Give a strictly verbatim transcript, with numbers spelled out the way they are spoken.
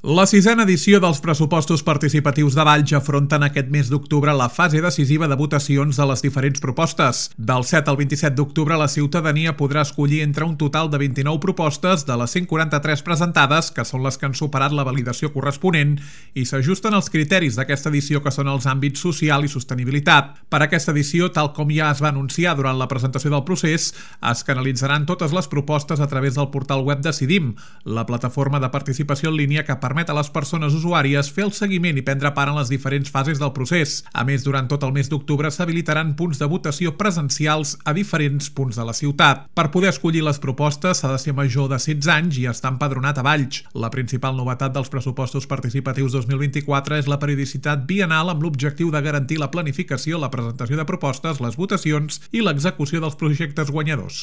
La sisena edició dels pressupostos participatius de Valls afronten aquest mes d'octubre la fase decisiva de votacions de les diferents propostes. Del set al vint-i-set d'octubre la ciutadania podrà escollir entre un total de vint-i-nou propostes de les cent quaranta-tres presentades, que són les que han superat la validació corresponent i s'ajusten als criteris d'aquesta edició, que són els àmbits social i sostenibilitat. Per aquesta edició, tal com ja es va anunciar durant la presentació del procés, es canalitzaran totes les propostes a través del portal web Decidim, la plataforma de participació en línia que permet permet a les persones usuàries fer el seguiment i prendre part en les diferents fases del procés. A més, durant tot el mes d'octubre s'habilitaran punts de votació presencials a diferents punts de la ciutat. Per poder escollir les propostes s'ha de ser major de setze anys i estar empadronat a Valls. La principal novetat dels pressupostos participatius dos mil vint-i-quatre és la periodicitat biennal, amb l'objectiu de garantir la planificació, la presentació de propostes, les votacions i l'execució dels projectes guanyadors.